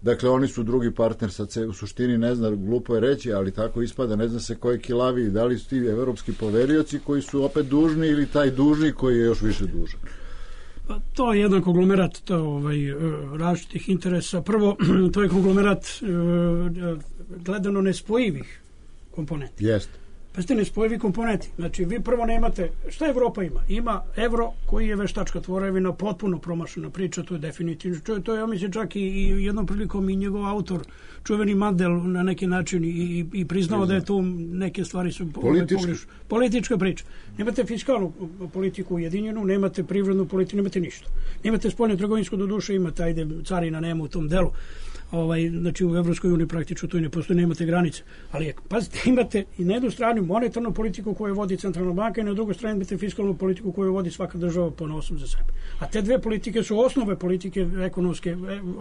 Dakle, oni su drugi partner, sad se u suštini ne zna, glupo je reći, ali tako ispada, ne zna se ko je kilaviji, da li su ti evropski poverioci koji su opet dužni ili taj dužni koji je još više dužan. Pa to je jedan konglomerat različitih interesa. Prvo, to je konglomerat gledano nespojivih komponenti. Jeste. Pa ste nespojivi komponenti. Znači, vi prvo nemate, šta Evropa ima? Ima evro koji je veštačka tvorevina, potpuno promašena priča, to je definitivno. To je, ja mislim, čak i jednom prilikom i njegov autor, čuveni Mandel, na neki način i priznao da je tu neke stvari su politička priča. Nemate fiskalnu politiku ujedinjenu, nemate privrednu politiku, nemate ništa. Nemate spoljno trgovinsku, do duše imate, ajde, carina nema u tom delu. znači u Evropskoj uniji praktično to i ne postoji, nemate granice. Ali pazite, imate i na jednu stranu monetarnu politiku koju vodi centralna banka i na drugoj strani imate fiskalnu politiku koju vodi svaka država ponosom za sebe. A te dve politike su osnove politike ekonomske,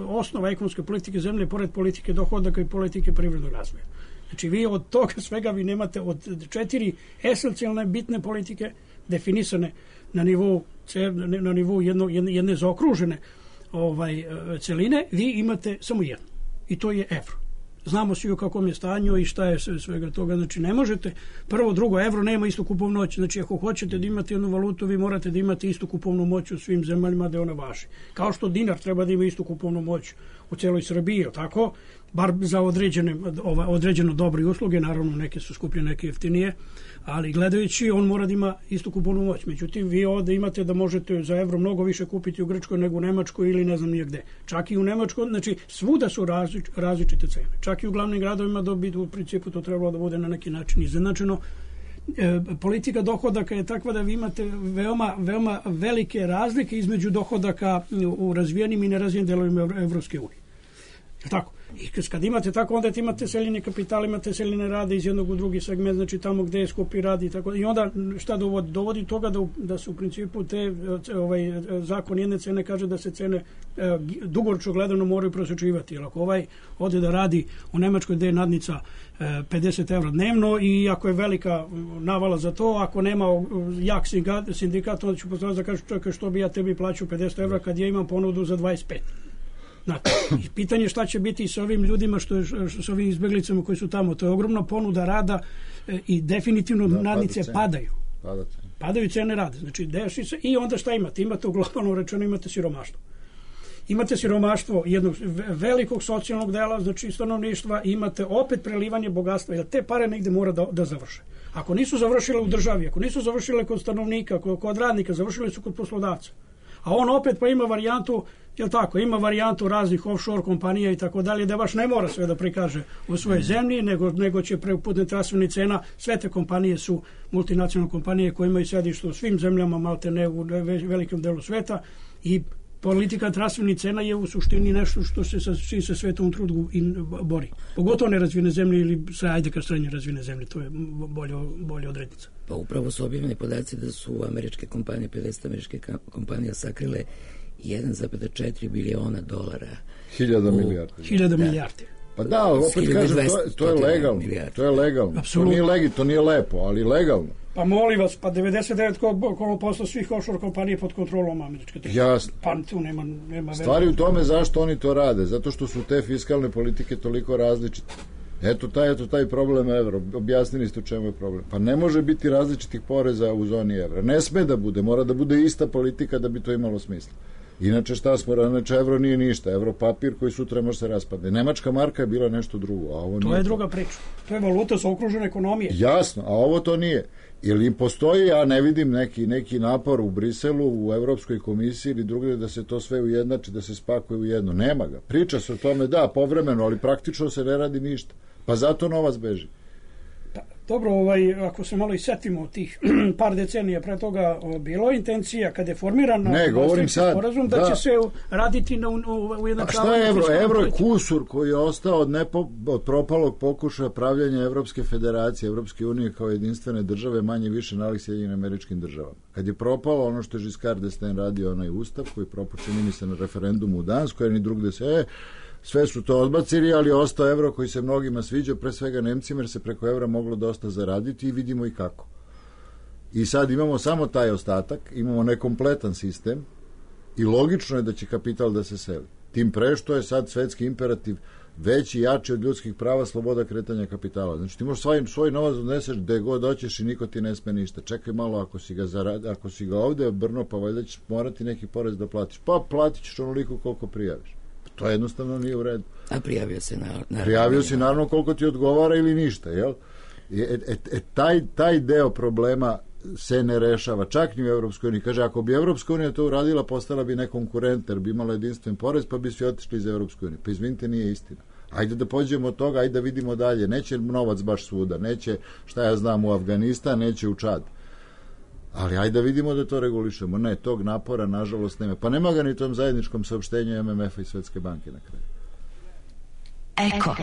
osnova ekonomske politike zemlje pored politike dohodaka i politike privrednog razvoja. Znači vi od toga svega vi nemate od 4 esencijalne bitne politike definisane na nivou jedne zaokružene celine, vi imate samo jedno. I to je evro. Znamo svi u kakvom je stanju i šta je svega toga. Znači ne možete, prvo, drugo, evro nema istu kupovnu moć. Znači ako hoćete da imate jednu valutu, vi morate da imate istu kupovnu moć u svim zemljama da ona važi. Kao što dinar treba da ima istu kupovnu moć u celoj Srbiji, tako? Bar za određeno dobre usluge, naravno neke su skuplje, neke jeftinije, ali gledajući on mora da ima istu kupovnu moć. Međutim, vi ovde imate da možete za evro mnogo više kupiti u Grčkoj nego u Nemačkoj ili ne znam nije gde. Čak i u Nemačkoj, znači svuda su različite cene. Čak i u glavnim gradovima da bi u principu to trebalo da bude na neki način izjednačeno. Politika dohodaka je takva da vi imate veoma velike razlike između dohodaka u razvijenim i nerazvijenim delovima Evropske unije. Tako. I kad imate tako, onda imate seljenje kapitala, imate seljenje rada iz jednog u drugi segment, znači tamo gde je skupi rad i tako. I onda šta dovodi? Dovodi toga da su u principu te zakon jedne cene kaže da se cene dugoročno gledano moraju prosječivati. Jer ako ode da radi u Nemačkoj gde je nadnica 50 evra dnevno i ako je velika navala za to, ako nema jak sindikat, onda ću postaviti da kaže čekaj što bi ja tebi plaćao 50 evra kad ja imam ponudu za 25. Znate, pitanje šta će biti sa ovim ljudima, sa ovim izbeglicama koji su tamo. To je ogromna ponuda rada i definitivno nadnice padaju. Padaju cene rada. Znači, deši se i onda šta imate? Imate u globalnom rečeno, imate siromaštvo. Imate siromaštvo jednog velikog socijalnog dela, znači stanovništva, imate opet prelivanje bogatstva, jer te pare negde mora da završe. Ako nisu završile u državi, ako nisu završile kod stanovnika, kod radnika, završile su kod poslodavca. A on opet pa ima varijantu, jel tako, ima varijantu raznih offshore kompanija i tako dalje, da baš ne mora sve da prikaže u svojoj zemlji, nego će putem transfernih cena, sve te kompanije su multinacionalne kompanije koje imaju sedište u svim zemljama, malte ne u velikom delu sveta i politika transfernih cena je u suštini nešto što se svetom u trudu bori. Pogotovo nerazvijene zemlje ili srednje razvijene zemlje, to je bolje odrednica. Pa upravo su objavljeni podaci da su američke kompanije, 50 američkih kompanija sakrile 1,4 biliona dolara. 1000 milijardi. 1000 milijardi. Pa da, opet kažem, to je legalno. To je legalno. To nije lepo, ali legalno. Pa molim vas, pa 99% svih offshore kompanije pod kontrolom američke države. Jasno. Pa tu nema stvari u tome zašto oni to rade. Zato što su te fiskalne politike toliko različite. Eto taj problem evra. Objasnili ste u čemu je problem. Pa ne može biti različitih poreza u zoni evra. Ne sme da bude. Mora da bude ista politika da bi to imalo smisla. Inače šta smo, inače evro nije ništa, evro papir koji sutra može se raspadne. Nemačka marka je bila nešto drugo, a ovo nije. To je druga priča. To je valuta sa okružene ekonomije. Jasno, a ovo to nije. Ili im postoji, ja ne vidim neki napor u Briselu, u Evropskoj komisiji ili drugdje da se to sve ujednači, da se spakuje u jedno. Nema ga. Priča se o tome, da, povremeno, ali praktično se ne radi ništa. Pa zato novac beži. Dobro, ako se malo i setimo tih par decenija pre toga, bilo intencija kada je formiran sporazum da će se raditi na ujednačavanju. A šta je evro? Evro je kusur koji je ostao od propalog pokušaja pravljanja Evropske federacije, Evropske unije kao jedinstvene države, manje više nalik Sjedinjenim Američkim državama. Kad je propalo ono što je Giscard d'Estaing radio, onaj ustav koji propočini mi se na referendumu u Danskoj, jer ni drugde se sve su to odbacili, ali ostao evro koji se mnogima sviđa, pre svega Nemcima, jer se preko evra moglo dosta zaraditi i vidimo i kako. I sad imamo samo taj ostatak, imamo nekompletan sistem i logično je da će kapital da se seli. Tim pre što je sad svetski imperativ veći i jači od ljudskih prava, sloboda kretanja kapitala. Znači ti možeš svoj novac odneseš gde god hoćeš i niko ti ne sme ništa. Čekaj malo, ako si ga ovde brno, pa valjda ćeš morati neki porez da platiš. Pa platit ćeš onoliko koliko prijaviš. To jednostavno nije u redu. A prijavio se naravno. Prijavio si naravno koliko ti odgovara ili ništa, jel? Taj deo problema se ne rešava, čak ni u Evropskoj uniji. Kaže, ako bi Evropska unija to uradila, postala bi nekonkurent, jer bi imala jedinstven porez, pa bi svi otišli iz Evropske unije. Pa izvinite, nije istina. Ajde da pođemo od toga, ajde da vidimo dalje. Neće novac baš svuda, neće, šta ja znam, u Afganistan, neće u Čad. Ali ajde da vidimo da to regulišemo. Ne, tog napora nažalost nema. Pa nema ga ni tom zajedničkom saopštenju MMF-a i Svetske banke na kraju. Eko.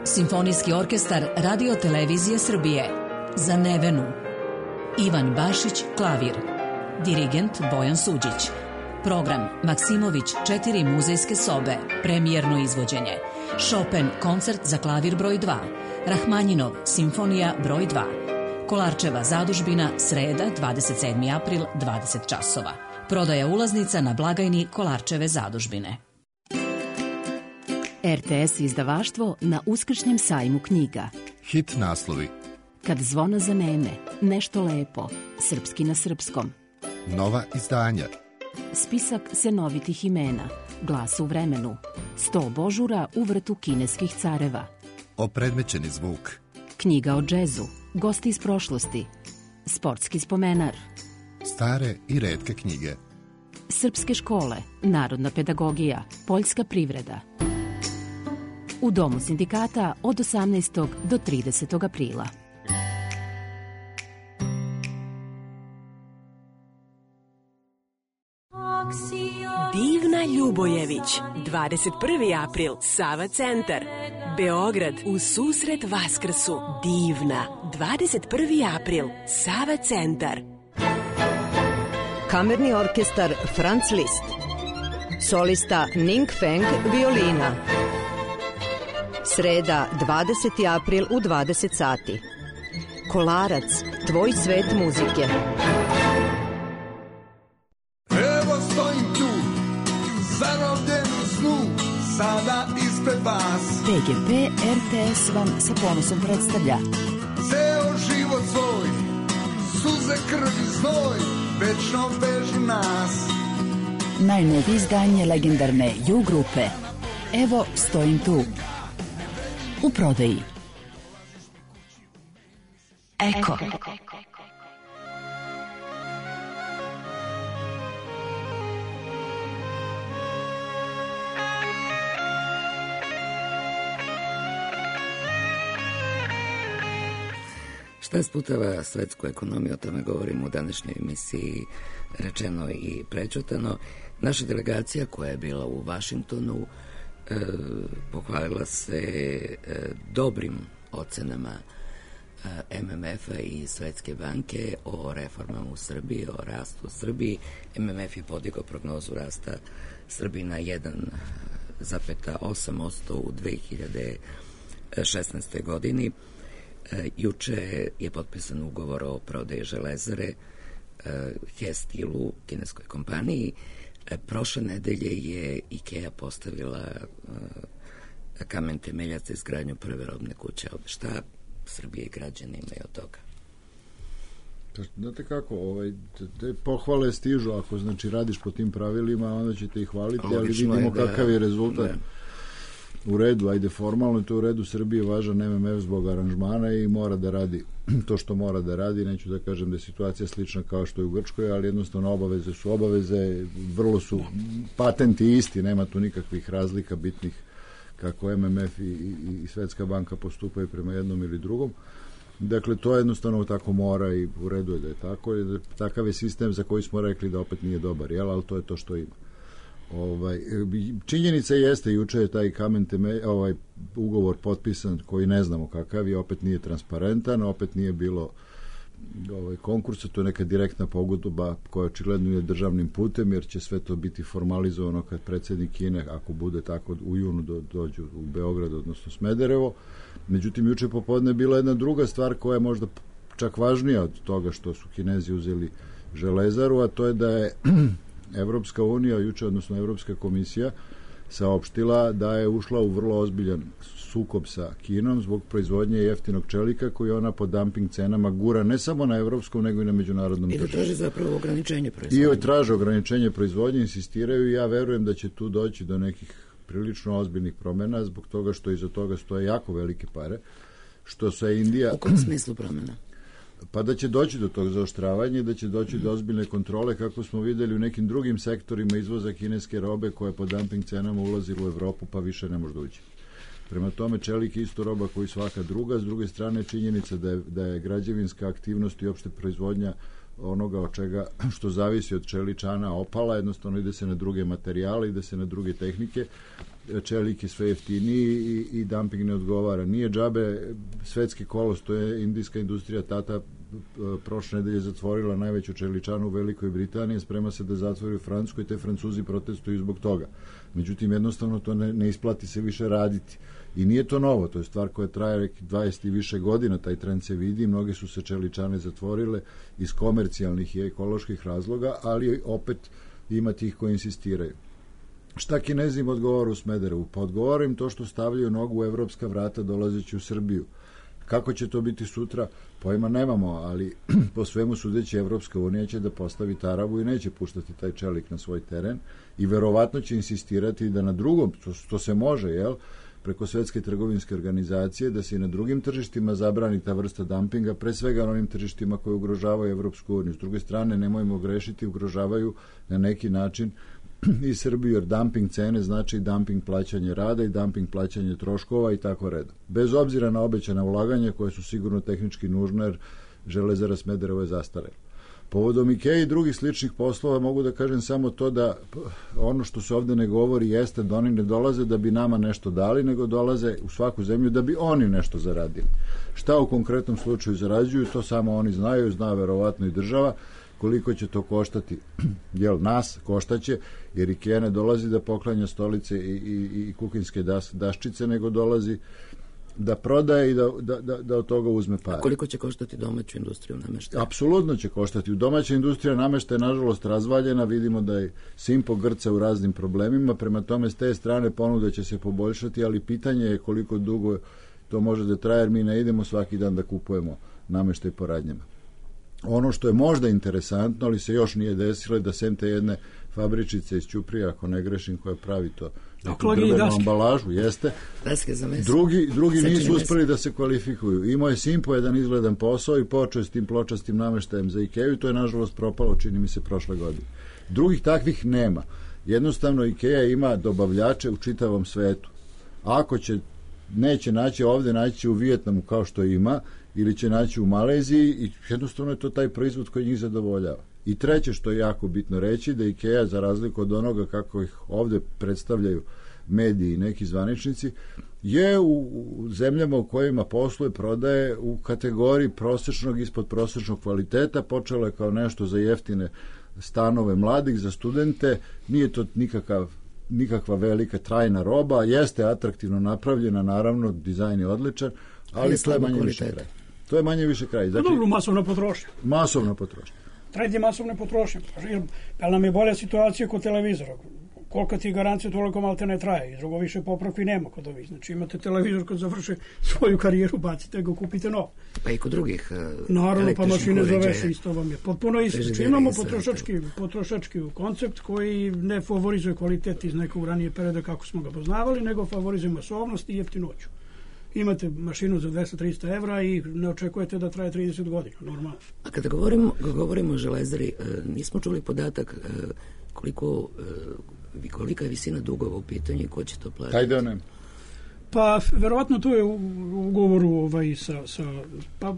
Simfonijski orkestar Radio Televizije Srbije. Za Nevenu. Ivan Bašić, klavir. Dirigent Bojan Suđić. Program Maksimović 4 muzejske sobe. Premijerno izvođenje. Chopin koncert za klavir broj 2. Rahmanjinov simfonija broj 2. Kolarčeva zadužbina, sreda, 27. april, 20 časova. Prodaja ulaznica na blagajni Kolarčeve zadužbine. RTS izdavaštvo na Uskršnjem sajmu knjiga. Hit naslovi. Kad zvona zaneme, nešto lepo, srpski na srpskom. Nova izdanja. Spisak senovitih imena, glas u vremenu, 100 božura u vrtu kineskih careva. Opredmećeni zvuk. Knjiga o džezu, gosti iz prošlosti, sportski spomenar. Stare i retke knjige. Srpske škole, narodna pedagogija, poljska privreda. U Domu sindikata od 18. do 30. aprila. Divna Ljubojević, 21. april, Sava centar. Beograd u susret Vaskrsu. Divna, 21. april, Sava centar. Kamerni orkestar Franz Liszt. Solista Ning Feng, violina. Sreda, 20. april u 20 sati. Kolarac, tvoj svet muzike. Evo stojim tu, zarobljen u snu, sada ispred vas. PGP RTS vam sa ponosom predstavlja Ceo život svoj, suze, krv i znoj, večno vežu nas. najnovije izdanje legendarne U grupe. Evo stojim tu. U prodaji. Eko. Šta sputava svetsku ekonomiju, o tome govorimo u današnjoj emisiji, rečeno i prećutano. Naša delegacija koja je bila u Vašingtonu pohvalila se dobrim ocenama MMF-a i Svetske banke o reformama u Srbiji, o rastu u Srbiji. MMF je podigao prognozu rasta Srbiji na 1,8% u 2016. godini. Juče je potpisan ugovor o prodaji železare He-Stilu, kineskoj kompaniji. Prošle nedelje je IKEA postavila kamen temeljac za izgradnju prve robne kuće. Šta Srbije i građani imaju od toga? Znate kako, te pohvale stižu, ako znači radiš po tim pravilima, onda ćete ih hvaliti, ali vidimo kakav je rezultat. U redu, ajde formalno je to u redu, Srbiji je važan MMF zbog aranžmana i mora da radi to što mora da radi. Neću da kažem da je situacija slična kao što je u Grčkoj, ali jednostavno obaveze su obaveze, vrlo su patenti isti, nema tu nikakvih razlika bitnih kako MMF i Svetska banka postupaju prema jednom ili drugom. Dakle, to jednostavno tako mora i u redu je da je tako. Takav je sistem za koji smo rekli da opet nije dobar, jel? Ali to je to što ima. Činjenica jeste, juče je taj kamen ugovor potpisan koji ne znamo kakav je, opet nije transparentan, opet nije bilo konkursa, to je neka direktna pogodba koja očigledno je državnim putem, jer će sve to biti formalizovano kad predsjednik Kine, ako bude tako, u junu dođu u Beograd, odnosno Smederevo. Međutim, juče popodne je bila jedna druga stvar koja je možda čak važnija od toga što su Kinezi uzeli železaru, a to je da je Evropska unija juče, odnosno Evropska komisija, saopštila da je ušla u vrlo ozbiljan sukob sa Kinom zbog proizvodnje jeftinog čelika koji ona po dumping cenama gura ne samo na evropskom, nego i na međunarodnom tržištu. I da traži zapravo ograničenje proizvodnje. I traže ograničenje proizvodnje, insistiraju, i ja verujem da će tu doći do nekih prilično ozbiljnih promjena, zbog toga što iza toga stoje jako velike pare, što se Indija... U kom smislu promjena? Pa da će doći do tog zaoštravanja i da će doći do ozbiljne kontrole, kako smo videli u nekim drugim sektorima izvoza kineske robe koja je po dumping cenama ulazila u Evropu, pa više ne može ući. Prema tome, čelik je isto roba koji svaka druga. S druge strane, činjenica da je građevinska aktivnost i opšte proizvodnja onoga od čega što zavisi od čeličana opala, jednostavno ide se na druge materijale, ide se na druge tehnike, čelik je sve jeftiniji i dumping ne odgovara. Nije džabe svetski kolos, to je indijska industrija, Tata prošle nedelje zatvorila najveću čeličanu u Velikoj Britaniji, sprema se da zatvori u Francuskoj i te Francuzi protestuju zbog toga. Međutim, jednostavno to ne isplati se više raditi. I nije to novo, to je stvar koja traje 20 i više godina, taj trend se vidi, mnoge su se čeličane zatvorile iz komercijalnih i ekoloških razloga, ali opet ima tih koji insistiraju. Šta Kinezi im odgovara u Smederevu? Pa odgovara im to što stavljaju nogu u evropska vrata dolazeći u Srbiju. Kako će to biti sutra? Pojma nemamo, ali po svemu sudeći Evropska unija će da postavi taravu i neće puštati taj čelik na svoj teren i verovatno će insistirati da na drugom, to se može, jel, preko Svetske trgovinske organizacije, da se i na drugim tržištima zabrani ta vrsta dumpinga, pre svega na onim tržištima koje ugrožavaju Evropsku uniju. S druge strane, nemojmo grešiti, ugrožavaju na neki način i Srbiju, jer dumping cene znači dumping plaćanje rada i dumping plaćanje troškova i tako redom. Bez obzira na obećana ulaganja koje su sigurno tehnički nužne, jer Železara Smederevo je zastarela. Povodom IKEA i drugih sličnih poslova mogu da kažem samo to da ono što se ovde ne govori jeste da oni ne dolaze da bi nama nešto dali, nego dolaze u svaku zemlju da bi oni nešto zaradili. Šta u konkretnom slučaju zarađuju, to samo oni znaju, zna verovatno i država. Koliko će to koštati, jel, nas koštaće, jer IKEA ne dolazi da poklanja stolice i kuhinske daščice, nego dolazi da prodaje i da od toga uzme pare. A koliko će koštati domaću industriju nameštaja? Apsolutno će koštati. U domaća industrija nameštaja je nažalost razvaljena, vidimo da je Simpo grca u raznim problemima, prema tome s te strane ponuda će se poboljšati, ali pitanje je koliko dugo to može da traje, jer mi ne idemo svaki dan da kupujemo nameštaj po radnjama. Ono što je možda interesantno, ali se još nije desilo, da sem te jedne fabričice iz Ćuprija, ako ne grešim, koja pravi to neku drvenu ambalažu, jeste. Drugi nisu uspeli da se kvalifikuju. Imao je Simpo jedan izgledan posao i počeo s tim pločastim nameštajem za IKEA i to je nažalost propalo, čini mi se, prošle godine. Drugih takvih nema. Jednostavno IKEA ima dobavljače u čitavom svetu. Ako neće naći ovde, naći će u Vijetnamu kao što ima, ili će naći u Maleziji i jednostavno je to taj proizvod koji njih zadovoljava. I treće što je jako bitno reći, da IKEA, za razliku od onoga kako ih ovde predstavljaju mediji i neki zvaničnici, je u zemljama u kojima posluje, prodaje u kategoriji prosečnog, ispod prosečnog kvaliteta. Počelo je kao nešto za jeftine stanove mladih, za studente, nije to nikakva velika trajna roba, jeste atraktivno napravljena, naravno, dizajn je odličan, ali to je manje više kraj. To je manje više kraj. Znači, dobro, masovna potrošnja. Masovna potrošnja. Trend je masovne potrošnje. Ali nam je bolja situacija kod televizora. Koliko ti garancija, toliko malte ne traje. I drugo više popravki nema kod ovih. Znači imate televizor kad završi svoju karijeru, bacite ga, kupite nov. Pa i kod drugih naravno, pa mašine za veš isto vam je potpuno isto. Znači imamo potrošački koncept koji ne favorizuje kvalitet iz nekog ranije perioda kako smo ga poznavali, nego favorizuje masovnost i jeftinoću. Imate mašinu za 200-300 evra i ne očekujete da traje 30 godina, normalno. A kada govorimo o Železari, nismo čuli podatak kolika je visina dugova u pitanju i ko će to platiti? Taj da ne. Pa, verovatno to je u ugovoru pa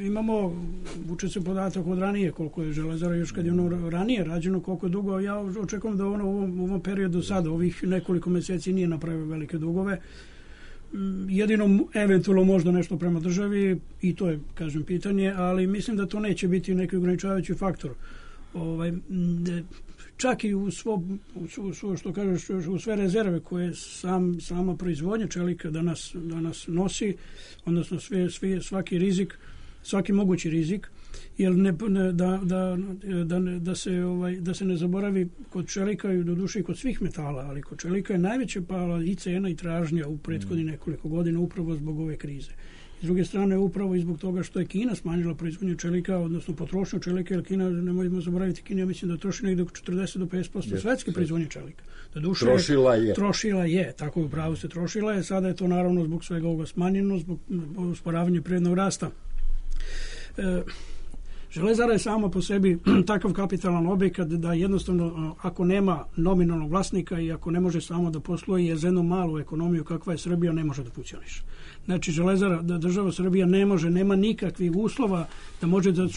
imamo, vuče se podatak od ranije, koliko je Železara još kad je ono ranije rađeno, koliko je dugo. Ja očekujem da ono u ovom periodu sada, ovih nekoliko meseci nije napravio velike dugove. Jedino eventualno možda nešto prema državi i to je, kažem, pitanje, ali mislim da to neće biti neki ograničavajući faktor. Čak i u što kažeš, u sve rezerve koje sama proizvodnja čelika danas nosi, odnosno svaki rizik, svaki mogući rizik, jer da se ne zaboravi kod čelika i do duše i kod svih metala, ali kod čelika je najveća pala i cena i tražnja u prethodnih nekoliko godina upravo zbog ove krize. S druge strane, upravo i zbog toga što je Kina smanjila proizvodnju čelika, odnosno potrošnju čelika, jer Kina, nemojmo zaboraviti, Kina mislim da troši negdje oko 40 do 50% svetske proizvodnje čelika. Trošila je, tako je, upravo se trošila je, sada je to naravno zbog svega ovoga smanjeno, zbog usporavanja privrednog rasta. Železara je sama po sebi takav kapitalan objekat da jednostavno ako nema nominalnog vlasnika i ako ne može samo da posluje za jednu malu ekonomiju kakva je Srbija, ne može da funkcioniše. Znači Železara, država Srbija nema nikakvih uslova da može da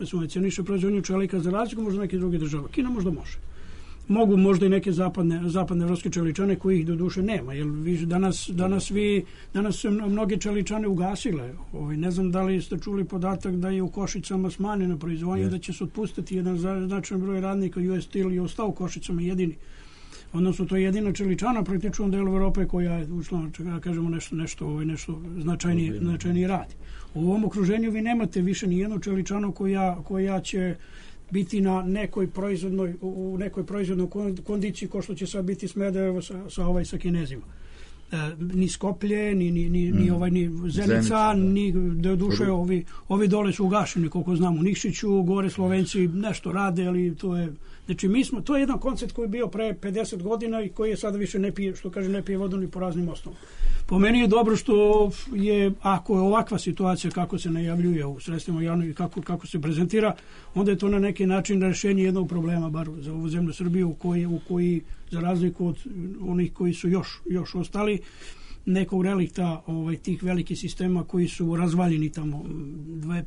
subvencioniše proizvodnju čelika za razliku možda neke druge države. Kina možda može. Mogu možda i neke zapadne evropske čeličane koji ih do duše nema, jer danas su mnoge čeličane ugasile. Ne znam da li ste čuli podatak da je u Košicama smanjena proizvodnja, da će se otpustiti jedan značajan broj radnika, US Steel je ostao u Košicama jedini. Odnosno, to je jedina čeličana praktično u delu Evrope koja je, kažemo, nešto značajnije radi. U ovom okruženju vi nemate više ni jednu čeličanu koja će biti na nekoj proizvodnoj kondiciji kao što će sad biti Smederevo sa Kinezima. Ni Skoplje, ni Zenica, ni do duše ovi dole su ugašeni, koliko znam, u Nikšiću, gore Slovenci nešto rade, ali to je, znači to je jedan koncept koji je bio pre 50 godina i koji je sada više ne pije vodu ni po raznim osnovama. Po meni je dobro što je, ako je ovakva situacija kako se najavljuje u sredstvima javnog i kako se prezentira, onda je to na neki način rešenje jednog problema, bar za ovu zemlju Srbiju, u koji za razliku od onih koji su još ostali, nekog relikta tih velikih sistema koji su razvaljeni tamo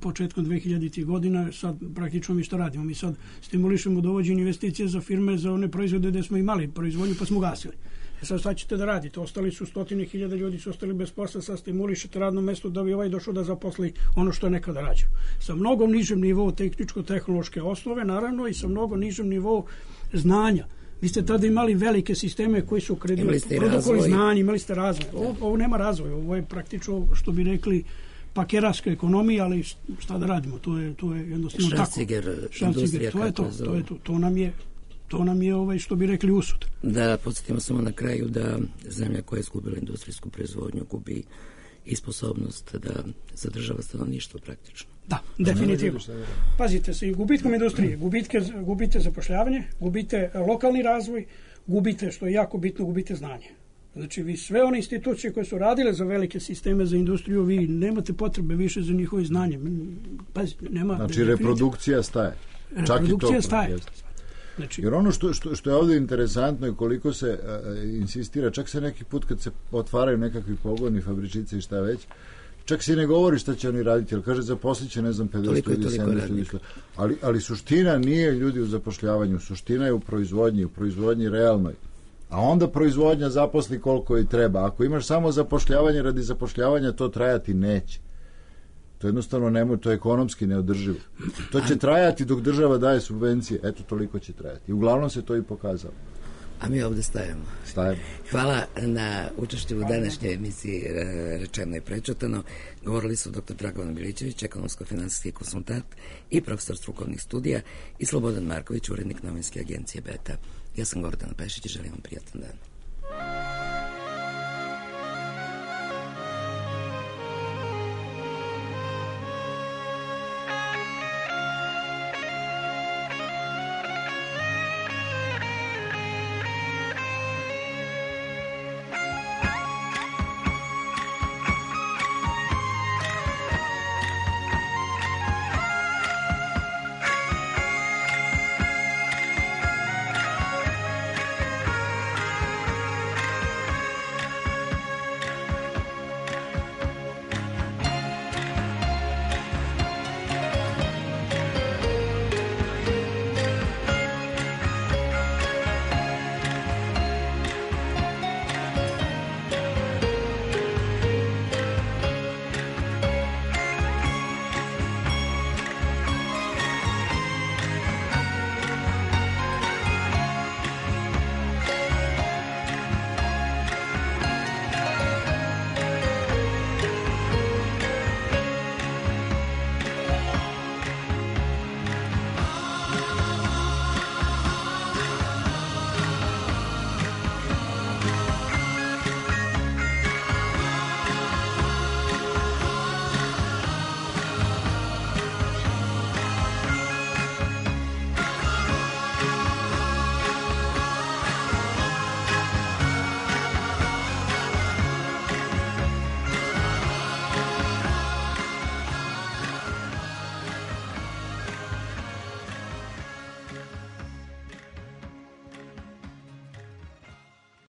početkom 2000. godina, sad praktično mi što radimo? Mi sad stimulišemo dovođenje investicije za firme, za one proizvode gde smo imali proizvodnju pa smo gasili. Sad ćete da radite, ostali su 100.000 ljudi su ostali bez posla, sad stimulišete radno mesto da bi došao da zaposli ono što je nekada rađeno. Sa mnogo nižem nivou tehničko-tehnološke osnove, naravno, i sa mnogo nižem nivou znanja. Vi ste tada imali velike sisteme koji su produkovali znanje, imali ste razvoj. Ovo nema razvoja, ovo je praktično, što bi rekli, pakeraška ekonomija, ali šta da radimo, to je jednostavno tako. Šranciger, to je to. To nam je, što bi rekli, usud. Da podsjetimo samo na kraju da zemlja koja je izgubila industrijsku proizvodnju gubi i sposobnost da zadržava stanovništvo praktično. Da, definitivno. Pazite se, i gubitkom industrije, gubite zapošljavanje, gubite lokalni razvoj, gubite, što je jako bitno, gubite znanje. Znači, vi sve one institucije koje su radile za velike sisteme za industriju, vi nemate potrebe više za njihovo znanje. Pazite, nema... Znači, reprodukcija staje. Reprodukcija staje. Znači, jer ono što je ovdje interesantno i koliko se insistira, čak se neki put kad se otvaraju nekakvi pogoni, fabričice i šta već, čak se ne govori šta će oni raditi, jer kaže zaposlit će, ne znam, 50 ili 70 ljudi. Ali suština nije ljudi u zapošljavanju, suština je u proizvodnji realnoj. A onda proizvodnja zaposli koliko i treba. Ako imaš samo zapošljavanje radi zapošljavanja, to trajati neće. To jednostavno to je ekonomski neodrživo. To će trajati dok država daje subvencije. Eto, toliko će trajati. I uglavnom se to i pokazalo. A mi ovdje stajemo. Hvala na učešću u današnjoj emisiji Rečeno i prečutano. Govorili su dr. Dragovan Milićević, ekonomsko-finansijski konsultant i profesor strukovnih studija, i Slobodan Marković, urednik novinske agencije Beta. Ja sam Gordana Pešić i želim vam prijatan dan.